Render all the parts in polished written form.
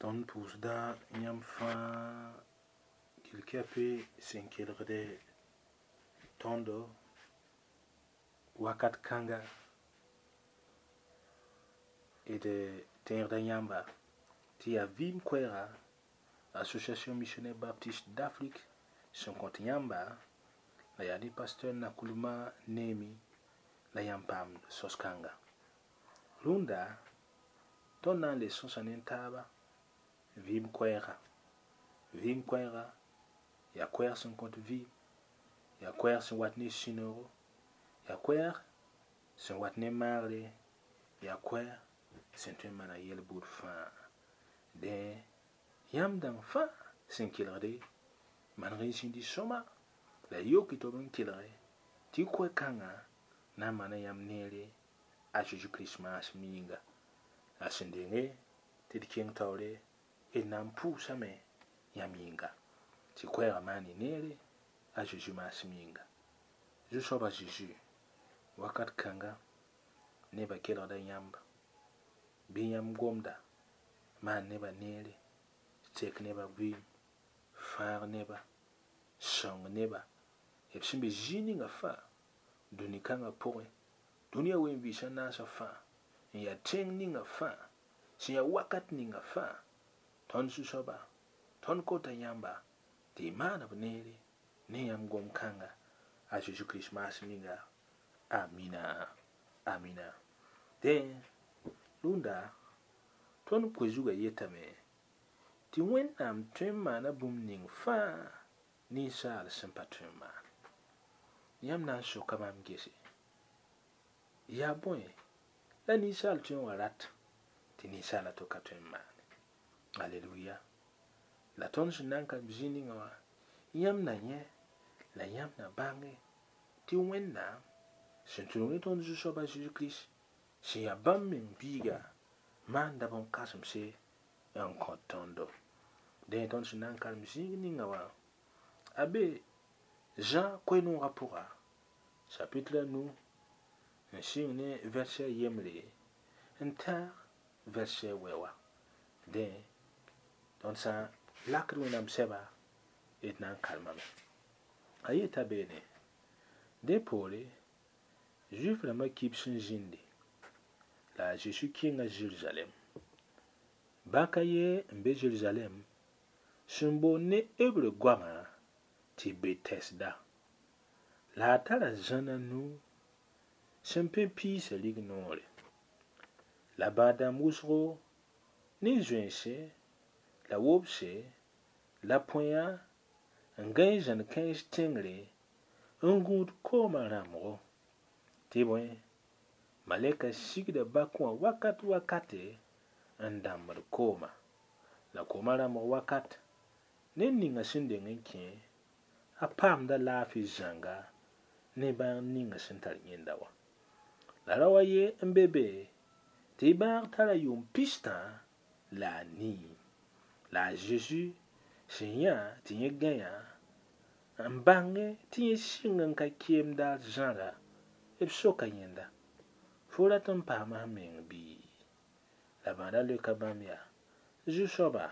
Tõnd pʋʋsda yãmb fãa kɩl-kɛpɩ sẽn kelgde tõndo wakat kãnga d tẽegda yãmba tɩ yaa vɩɩm koɛɛga Association Missionnaire Baptiste d'Afrique sẽn kõt yãmba la yaa ne pasteur Nakulma Neemi la yãmb paam sos-kãnga. Rũndã tõnd na n le sõsa ne taaba vɩɩm koɛɛga. Vɩɩm koɛɛga yaa koɛɛg sẽn kõt vɩɩm, yaa koɛɛg sẽn wat ne sũ-noogo, yaa koɛɛg sẽn wat ne maagre, yaa koɛɛg sẽn tõe n maana yel-bʋʋd fãa. Dẽ yãmb dãng fãa sẽn kelgde maneg n zĩndi sõma la y yoke tɩ b n kelge tɩ koɛ-kãngã na n maana yãmb neere a Zeezi Kirist maasem yĩnga. La sẽn denge tɩ d kẽng taoore d na n pʋʋsame yãmb yĩnga tɩ koɛɛgã maan y neere a Zeezi maasem yĩnga. Zu-soaba Zeezi wakat kãnga nebã kelgda yãmb bɩ yãmb gomda maan nebã neere, tek nebã vɩɩm, fãag neba, sõng neba, b sẽn be zĩig ninga fãa, dũni kãngã pʋgẽ, dũniyã wen-vɩɩsã naasã fãa, n yaa tẽng ninga fãa, sẽn yaa wakat ninga fãa, tõnd zu-soaba, tõnd kota yãmba tɩ y maan b neere ne yãmb gom-kãnga a Zeezi Kirist maasem yĩnga. Amina. Amina. Dẽ, rũndã, tõnd koe-zugã yetame tɩ Wẽnnaam tõe n maana bũmb ning fãa ninsaal sẽn pa tõe n maan. Yãmb na n soka maam gese, yaa bõe la ninsaal tõe n wa rat tɩ ninsaala to ka tõe n maane? Aleluya. La tõnd sẽn na n ka zĩ ninga wã, yãmb na yẽ la yãmb na bãnge tɩ Wẽnnaam sẽn tũnug ne tõnd Zu-soaba Zeezi Kirist sẽn yaa bãmb meng biiga maanda bõn-kãsemse n kõt tõndo. Dẽ tõnd sẽn na n karem zĩig ninga wã, a be Zã koe-noogã pʋga, chapitre a nu n sɩng ne verset yembre n tãag verset wɛ wã. Dẽ tõnd sã n lakd Wẽnnaam sɛba d na n karemame. A yeta beene, dẽ poore Zuif rãmbã kibs n zĩndi la a Zeezi kẽnga Zerizalɛɛm. Bãk a ye n be Zerizalɛɛm sẽn boond ne Hebre goamã tɩ Betɛsda. La a tara zãn a nu sẽn pẽ piisã rignoore. La bãad-dãmb wʋsgo ne zoense la wobse la põya n gãe zãn kãens tẽngre n gũud koomã rãmbgo. Tɩ bõe, malɛka sigda bak wã wakat wakate n dãmbd kooma. La koomã rãmbg wakat, ned ninga sẽn deng n kẽ, a paamda laafɩ zãnga ne bãag ninga sẽn tar yẽnda wã. La rao a ye n be be tɩ y bãag tara yʋʋm pistã la a nii. La a Zeezi sẽn yã tɩ yẽ gãeya n bãnge tɩ yẽ sɩng n ka keemda zãra, b soka yẽnda, fo rat n paama f meng bɩ? La bãadã leoka bãmb yaa, Zu-soaba,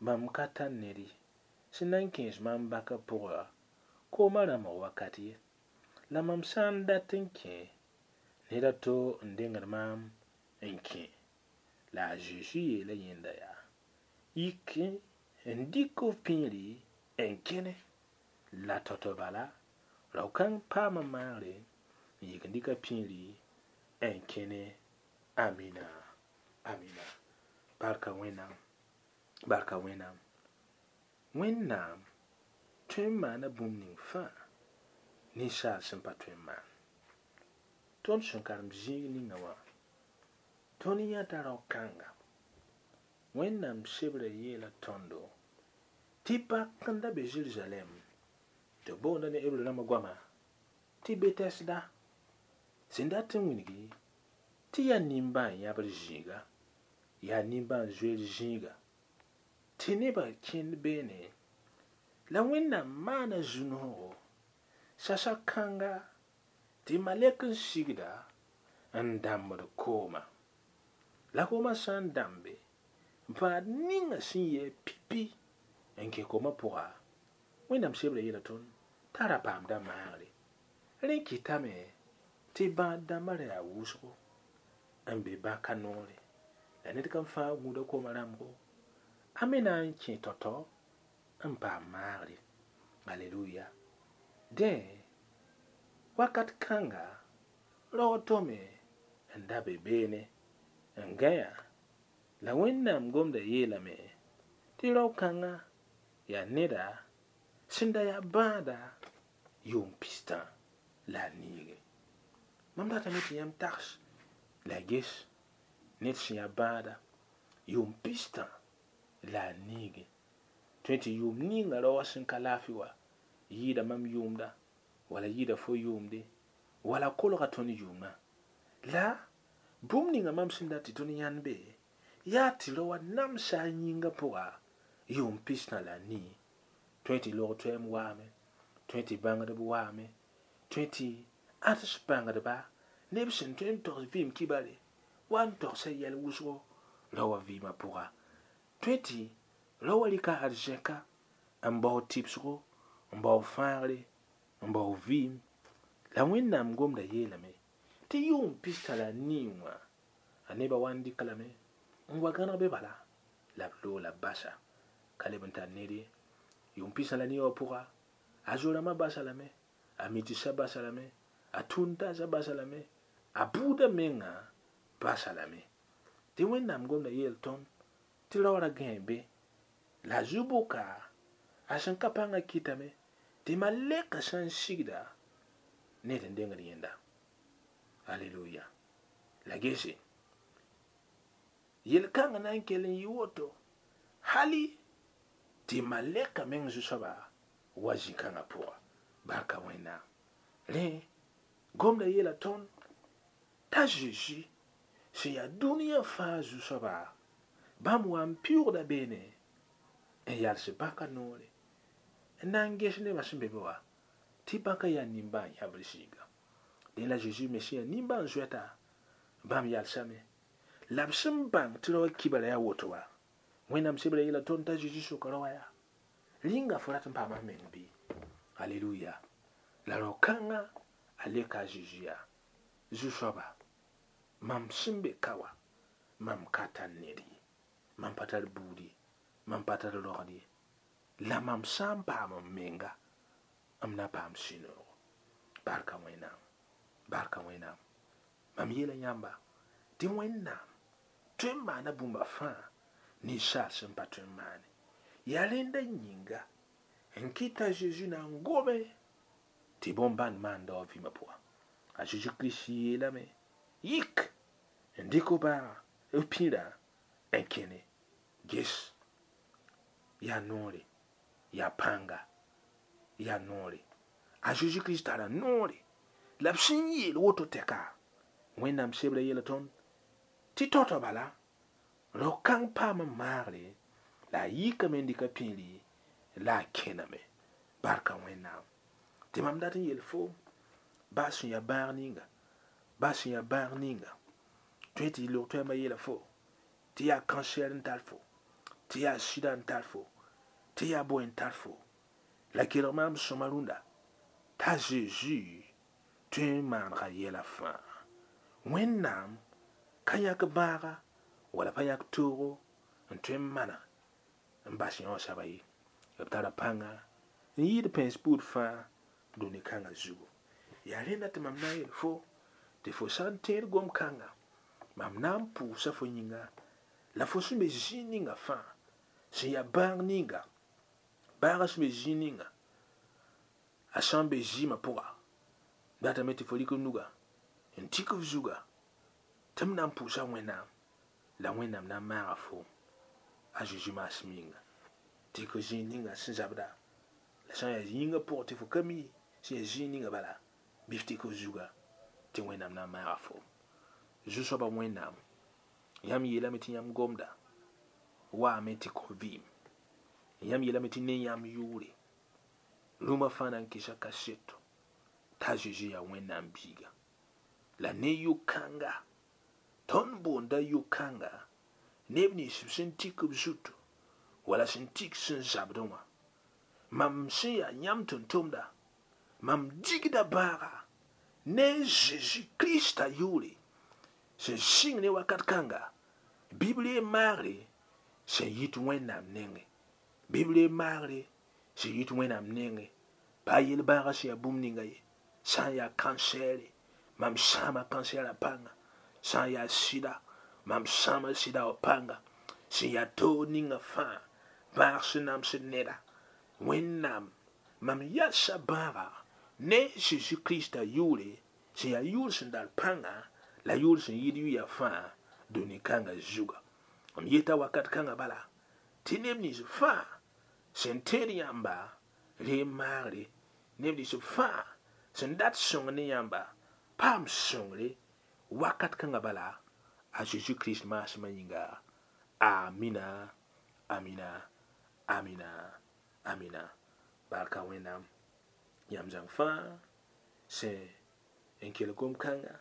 mam ka tar ned ye sẽn na n kẽes maam baka pʋga koomã rãmbg wakat ye. La mam sã n dat n kẽ, ned a to n dengd maam n kẽ. La a Zeezi yeela yẽnda yaa, yik n dɩk f pĩiri n kẽne. La tao-tao bala, rao-kãng paama maagre n yik n dɩk a pĩiri n kẽne. Amina. Amina. Barka Wẽnnaam. Barka Wẽnnaam. Wẽnnaam tõe n maana bũmb ning fãa ninsaal sẽn pa tõe n maan. Tõnd sẽn karem zĩig ninga wã, tõnd yãta rao-kãnga. Wẽnnaam sebrã yeela tõndo tɩ bak n da be Zerizalɛɛm tɩ b boonda ne Hebre rãmbã goama tɩ Betɛsda sẽn dat n wilgi tɩ yaa nimbãan-yãbr zĩiga, yaa nimbãan-zoeer zĩiga, tɩ nebã kẽnd beene la Wẽnnaam maana zu-noogo sasa kãnga tɩ malɛk n sigda n dãmbd kooma. La koomã sã n dãmbe n Bãad ninga sẽn yɩ pipi n kẽ koomã pʋga, Wẽnnaam sebrã yeela tõnd t'a ra paamda maagre. Rẽ kɩtame tɩ bãad dãmbã ra yaa wʋsgo n be bãka noore. La ned kam fãa gũuda koomã rãmbgo, a me na n kẽ tao-tao n paam maagre. Aleluya. Dẽ, wakat kãnga, raoog tome n da be beene n gãya. La Wẽnnaam gomda yeelame tɩ rao-kãngã yaa neda sẽn da yaa bãada yʋʋm pistã la a niige. Mam datame tɩ yãmb tags la ges ned sẽn yaa bãada yʋʋm pistã la a niige. Tõe tɩ yʋʋm ninga rao wã sẽn ka laafɩ wa yɩɩda mam yʋʋmda wala yɩɩda fo yʋʋmde wala kolga tõnd yʋʋmã. La bũmb ninga mam sẽn dat tɩ tõnd yãnd be yaa tɩ rao wã namsa a yĩngã pʋga yʋʋm pistã la a nii. Tõe tɩ log toɛɛm waame, tõe tɩ bãngdb waame, tõe tɩ ãds bãngdba neb sẽn tõe n togs vɩɩm kibare wa n togsa yɛl wʋsgo rao wã vɩɩmã pʋga. Tõe tɩ rao wã rɩka arzɛka n bao tɩbsgo, n bao fãagre, n bao vɩɩm. La Wẽnnaam gomda yeelame tɩ yʋʋm pistã la a nii wã a nebã wa n dɩk lame n wa gãneg be bala la b loog la b basa ka leb n tar ned ye. Yʋʋm pistã la nii wã pʋga a zo-rãmbã basa lame, a mitisã basa lame, a tũud-n-taasã basa lame, a buudã mengã basa lame. Tɩ Wẽnnaam gomda yeel tõnd tɩ rao ra gãe be la a zu-boka a sẽn ka pãngã kɩtame tɩ malɛkã sã n sigda ned n dengd yẽnda. Aleluya. La gese yel-kãngã na n kell n yɩ woto hali tɩ malɛkã meng zu-soaba wa zĩ-kãngã pʋga. Barka Wẽnnaam. Rẽ gomda yeela tõnd t'a Zeezi sẽn yaa dũniyã fãa zu-soaba bãmb wa n pɩʋʋgda beene n yals bãka noore n na n ges nebã sẽn be be wã tɩ bãka yaa nimbãan-yãbr zĩiga. Dẽ la Zeezi me sẽn yaa nimbãan-zoɛta bãmb yalsame la b sẽn bãng tɩ rao wã kibra yaa woto wa. Wẽnnaam sebrã yeela tõnd t'a Zeezi soka rao wã yaa rĩnga fo rat n paama f meng bɩ. Aleluya. La rao-kãngã a leka a Zeezi yaa zu-soaba mam sẽn be ka wã mam ka tar ned ye, mam pa tar buud ye, mam pa tar rogd ye, la mam sã n paam m menga m na paam sũ-noogo. Barka Wẽnnaam, barka Wẽnnaam. Mam yeela yãmba tɩ Wẽnnaam tõe n maana bũmba fãa ninsaal sẽn pa tõe n maane. Yaa rẽnda yĩnga n kɩta Zeezi na n gome tɩ bõn-bãnd maanda wã vɩɩmã pʋga. A Zeezi Kirist yeelame yik n dɩk f bãaga f pĩrã n kẽne ges yaa noore, yaa pãnga, yaa noore. A Zeezi Kirist tara noore la b sẽn yeel woto tɛka Wẽnnaam sebrã yeela tõnd tɩ tao-tao bala rao-kãng paam n maagre la a yikame n dɩka pĩiri la a kẽname. Barka Wẽnnaam. Tɩ mam dat n yeel foom baa sẽn yaa bãag ninga, baa sẽn yaa bãag ninga tõe tɩ log toɛɛmã yeela fo tɩ yaa kansɛr n tar fo, tɩ yaa sɩda n tar fo, tɩ yaa bõe n tar fo. La kelg maam sõma rũndã t'a Zeezi tõe n maanega yɛla fãa. Wẽnnaam ka yãk bãaga wala pa yãk toogo n tõe n mana n bas yã wã soaba ye. B tara pãnga n yɩɩd pẽns buud fãa dũni kãngã zugu. Yaa rẽnda tɩ mam na n yeel fo tɩ fo sã n tẽed gom-kãnga mam na n pʋʋsa fo yĩnga la fo sẽn be zĩig ninga fãa sẽn yaa bãag ninga bãagã sẽn be zĩig ninga a sã n be zɩɩmã pʋga datame tɩ fo rɩk f nuga n tik f zuga tɩ m na n pʋʋsa Wẽnnaam la Wẽnnaam na n maaga foom a Zeezi maasem yĩnga. Tɩ k zĩig ninga sẽn zabda la sã n yaa yĩngã pʋgẽ tɩ fo ka mi sẽn yaa zĩig ninga bala bɩ f tɩk f zuga tɩ Wẽnnaam na n maaga foom. Zu-soabã Wẽnnaam yãmb yeelame tɩ yãmb gomda waame tɩ kõ vɩɩm. Yãmb yeelame tɩ ne yãmb yʋʋre rũmã fãa na n kɩsa kaseto t'a Zeezi yaa Wẽnnaam biiga. La ne yʋ-kãnga tõnd boonda yʋ-kãnga Neb nins b sẽn tik b zutu wala sẽn tik sẽn zabdẽ wã. Mam sẽn yaa yãmb tʋm-tʋmda, mam digda bãaga ne Zeezi Krista yʋʋre sẽn sɩng ne wakat kãnga, bɩ b reeg maagre sẽn yit Wẽnnaam nengẽ, bɩ b reeg maagre sẽn yit Wẽnnaam nengẽ. Pa yel-bãagã sẽn yaa bũmb ninga ye, sã n yaa kansɛɛre, mam sãama kansɛɛrã pãnga, sã n yaa sɩda, mam sãama sɩda wã pãnga, sẽn yaa toog ninga fãa, bãag sẽn namsd neda. Wẽnnaam, mam yalsa bãaga ne Zeezi Krista yʋʋre sẽn yaa yʋʋr sẽn dar pãnga la yʋʋr sẽn yɩɩd yʋya fãa dũni kãngã zuga. M yeta wakat kãngã bala tɩ neb nins fãa sẽn tẽed yãmba reeg maagre, neb nins fãa sẽn dat sõng ne yãmba paam sõngre wakat kãngã bala a Zeezi Kirist maasmã yĩnga. Amina, amina, amina, amina. Barka Wẽnnaam yãmb zãng fãa sẽn n kell gom-kãnga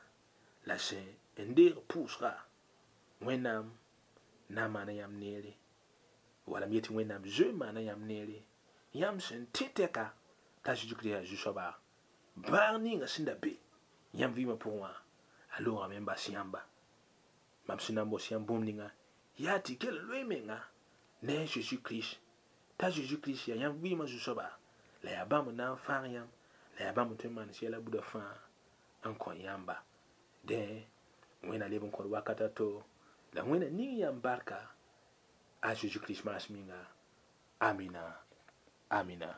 la sẽn n deeg pʋʋsga. Wẽnnaam na n maana yãmb neere, wala m yetɩ Wẽnnaam zoe n maana yãmb neere, yãmb sẽn tẽ tɛka t'a Zeezi Kirist yaa Zu-soaba. Bãag ninga sẽn da be yãmb vɩɩmã pʋgẽ wã, a loogame n bas yãmba. Mam sẽn na n bos yãmb bũmb ninga yaa tɩ kell n loe menga ne a Zeezi Kirist, t'a Zeezi Kirist yaa yãmb vɩɩmã Zu-soaba, la yaa bãmb n na n fãag yãmb, la yaa bãmb n tõe n maan sɛla buda fãa n kõ yãmba. Dẽ, Wẽnna leb n kõt wakat a to, la Wẽnna ning yãmb barka a Zeezi Kirist maasem yĩnga. Amina, amina.